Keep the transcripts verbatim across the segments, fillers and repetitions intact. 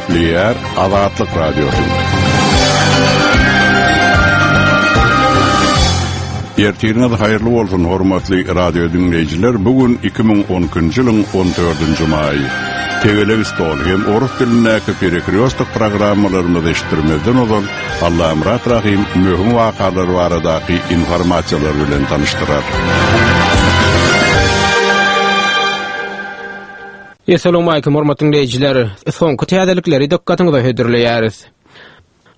Gepleýär Azatlyk Radiosy. Ertiriňiz haýyrly bolsun hormatly radio dinleýjiler. Bu gün iki müň on ikinji ýylyň on dördünji maýy. Tegelek stol hem orus dilindäki perekryostok programmalarymyzy eşitdirmezden ozal Allamyrat Rahim möhüm wakalar baradaky informasiýalar bilen tanyşdyrar. Essalamu alaykum hormatly dinleýjiler. Soňky täzelikleri dykgatyňyza hödürleýäris.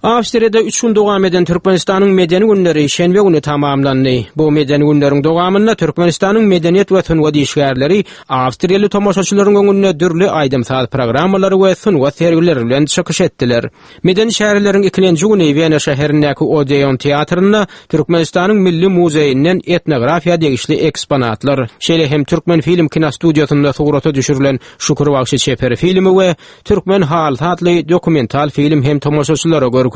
Awstriýada üç gün dowam eden Türkmenistanyň medeni günleri şenbe güni tamamlandy. Bu medeni günleriň dowamynda Türkmenistanyň medeniýet we sungat işgärleri Awstriýaly tomaşaçylaryň öňünde dürli aýdym-saz programmalary we sungat sergileri bilen çykyş etdiler. Medeni şäherleriň ikinji güni Wena şäherindäki Odeon teatrynda Türkmenistanyň Milli muzeýinden etnografiýa degişli eksponatlar, şeýle hem Türkmen film kinostudiýasynda surata düşürilen Şükür bagşy çeper filmi we Türkmen halysy atly dokumental film hem tomaşaçylara görkezildi.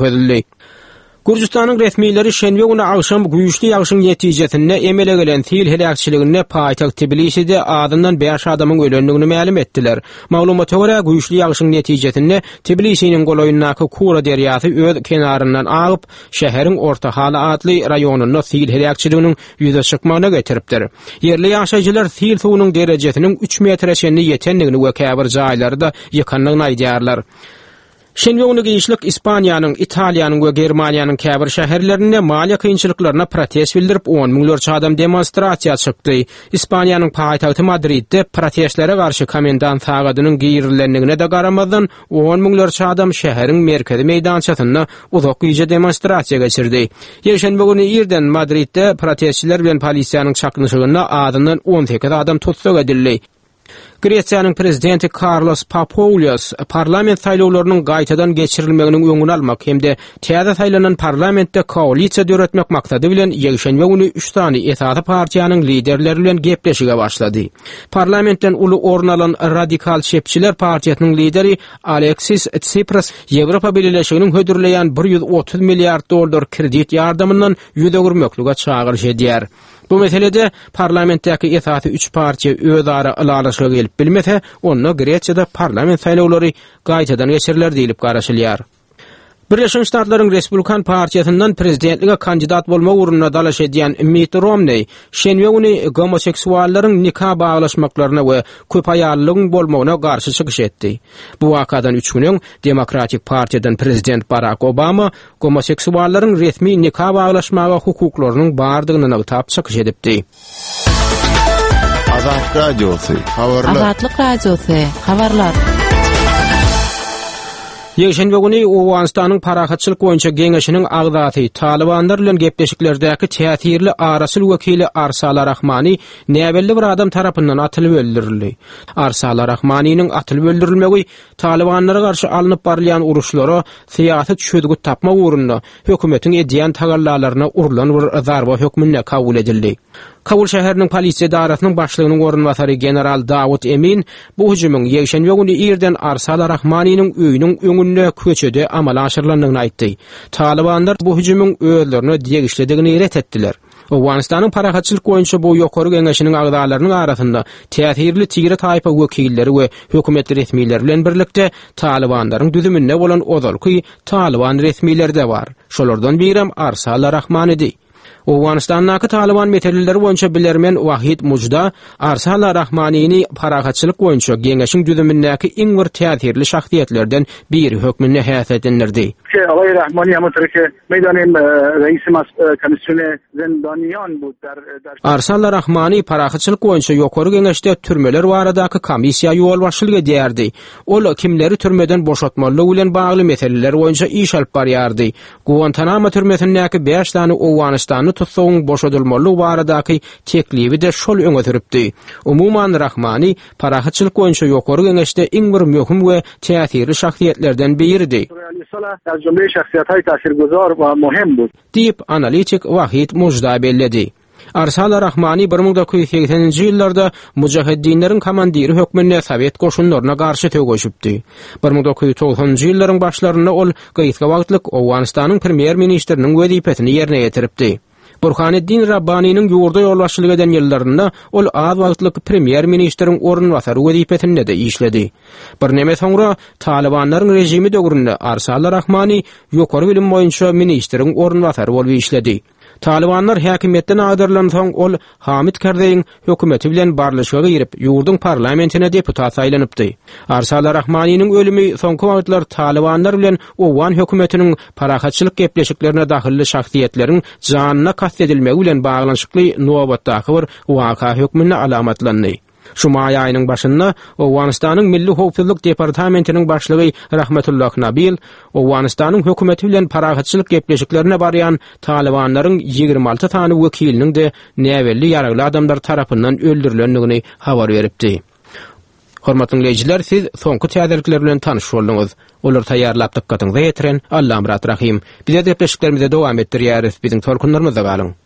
Gürjüstanyň resmileri şenbe güni agşam güýçli ýagşyň netijesinde emele gelen sil heläkçiliginde paýtagt Tbiliside azyndan bäş adamyň ölendigini mälim etdiler. Maglumata görä güýçli ýagşyň netijesinde Tbilisiniň golaýyndaky Kura derýasy öz kenaryndan agyp, şäheriň Orta Hala atly raýonynda sil heläkçiliginiň ýüze çykmagyna getiripdir. Ýerli ýaşaýjylar sil suwunyň derejesiniň üç metre çenli ýetendigini we käbir jaýlarda ýykandygyny aýdýarlar. Şenbe güni giçlik Ispaniýanyň, Italiýanyň we Germaniýanyň käbir şäherlerinde maliýe kynçylyklaryna protest bildirip on müňlerçe adam demonstrasiýa çykdy. Ispaniýanyň paýtagty Madridde protestlere garşy komendant sagadynyň girilendigine de garamazdan on müňlerçe adam şäheriň merkezi meýdançasynda uzak gije demonstrasiýa geçirdi. Ýekşenbe güni irden Madridde protestçiler bilen polisiýanyň çaknyşygynda azyndan on sekiz adam tussag edildi. Gresiýanyň prezidenti Carlos Papoulias parlament saýlawlarynyň gaýtadan geçirilmeginiň öňüni almak hem-de täze saýlanan parlamentde koalisiýa döretmek maksady bilen ýekşenbe güni üç sany esasy partiýanyň liderleri bilen gepleşige başlady. Parlamentden uly orun alan Radikal Çepçiler partiýasynyň lideri Alexis Tsipras Ýewropa Bileleşiginiň hödürleýän bir ýüz otuz milliard dollar kredit ýardamyndan ýüz öwürmeklige çagyryş edýär. Bu meselede parlamentdäki esasy üç partiýa öz ara ylalaşyga gelip bilmese, onda Gresiýada parlament saýlawlary gaýtadan geçiriler diýilip garaşylýar. Birleşen Ştatlaryň Respublikan partiýasyndan prezidentlige kandidat bolmak ugrunda dalaş edýän Mitt Romney şenbe güni gomoseksuallaryň nika baglaşmaklaryna we köp aýallygyň bolmagyna garşy çykyş etdi. Bu wakadan üç gün öň Demokratik partiýadan prezident Barack Obama gomoseksuallaryň resmi nika baglaşmaga hukuklarynyň bardygyny nygtap çykyş edipdi. Azatlyk Radiosy, habarlar. Azatlyk Radiosy, habarlar. Ýekşenbe güni Owganystanyň Parahatçylyk boýunça geňeşiniň agzasy Talibanlar bilen gepleşiklerdäki täsirli araçyl wekili Arsala Rahmani näbelli bir adam tarapyndan atylyp öldürildi. Arsala Rahmaniniň atylyp öldürilmegi Talibanlara garşy alnyp barylýan uruşlara syýasy çözgüt tapmak ugrunda hökümetiň edýän tagallalaryna urulan bir zarba hökmünde kabul edildi. Kabul şäheriniň polisiýa edarasynyň başlygynyň orunbasary general Dawut Emin bu hüjümiň ýekşenbe güni irden Arsala Rahmaniniň öýüniň öňünde köçede amala aşyrylandygyny aýtdy. Talibanlar bu hüjümiň özlerine degişlidigini ret etdiler. Owganystanyň parahatçylyk boýunça bu ýokary geňeşiniň agzalarynyň arasynda täsirli tire taýpa wekilleri we hökümet resmileri bilen birlikde Talibanlaryň düzüminde bolan ozalky Taliban resmileri de bar. Şolardan birem Arsala Rahmanidi. Owganystandaky Taliban meseleleri boýunça bilermen Wahid Mujda Arsala Rahmanini parahatçylyk boýunça geňeşiň düzümindäki iň bir täsirli şahsyýetlerden biri hökmünde häsiýetlendirdi. Alay Rahmani hem meydanım reisi komisyonu zindaniyan bu der, der Arsala Rahmani parahatçylyk boýunça ýokary geňeşde türmeler baradaky komissiýa ýolbaşçylyk edýärdi. Ol kimleri türmeden boşatmaly bilen bagly meseleler boýunça iş alyp barýardy. Guantanamo türmesindäki bäş sany Owganystanly tutsagyň boşadylmaly baradaky teklibi de şol öňe sürüpdi. Umuman Rahmani parahatçylyk boýunça ýokary geňeşde iň bir möhüm we täsirli şahsyýetlerden biridi. Diýip analitik Wahid Mujda belledi. Arsala Rahmani bir müň dokuz ýüz segseninji ýyllarda Mujaheddinleriň komandiri hökmünde Sowet goşunlaryna garşy söweşipdi. Bir müň dokuz ýüz togsanynjy ýyllaryň başlarynda ol gysga wagtlyk Owganystanyň premýer-ministriniň wezipesini ýerine ýetiripdi. Burhaneddin Rabbani'nin ýurda ýolbaşçylyk eden ýyllarynda ol az wagtlyk premýer ministriň orunbasary wezipesinde de işledi. Birneme soňra Talibanlaryň rejimi döwründe Arsala Rahmani ýokary bilim boýunça ministriň orunbasary bolup işledi. Talibanlar häkimiýetden agdarylan soň ol Hamid Karzeýiň hökümeti bilen barlyşyga girip, ýurduň parlamentine deputat saýlanypdy. Arsala Rahmaniniň ölümi soňky wagtlar Talibanlar bilen Owgan hökümetiniň parahatçylyk gepleşiklerine dahylly şahsyýetleriň janyna kast edilmegi bilen baglanyşykly nobatdaky bir waka hökmünde alamatlandy. Şu maý aýynyň başynda Owganystanyň Milli Howpsuzlyk Departamentiniň başlygy Rahmetullah Nabil Owganystanyň hökümeti bilen parahatçylyk gepleşiklerine barýan Talibanlaryň ýigrimi alty sany wekiliniň de näbelli ýaragly adamlar tarapyndan öldürilendigini habar beripdi. Hormatly dinleýjiler, siz soňky täzelikler bilen tanyş bolduňyz. Olar taýýarlap dykgatyňyza ýetiren Allamyrat Rahim. Bize gepleşiklerimize dowam etdirýäris. Biziň tolkunlarymyzda galyň.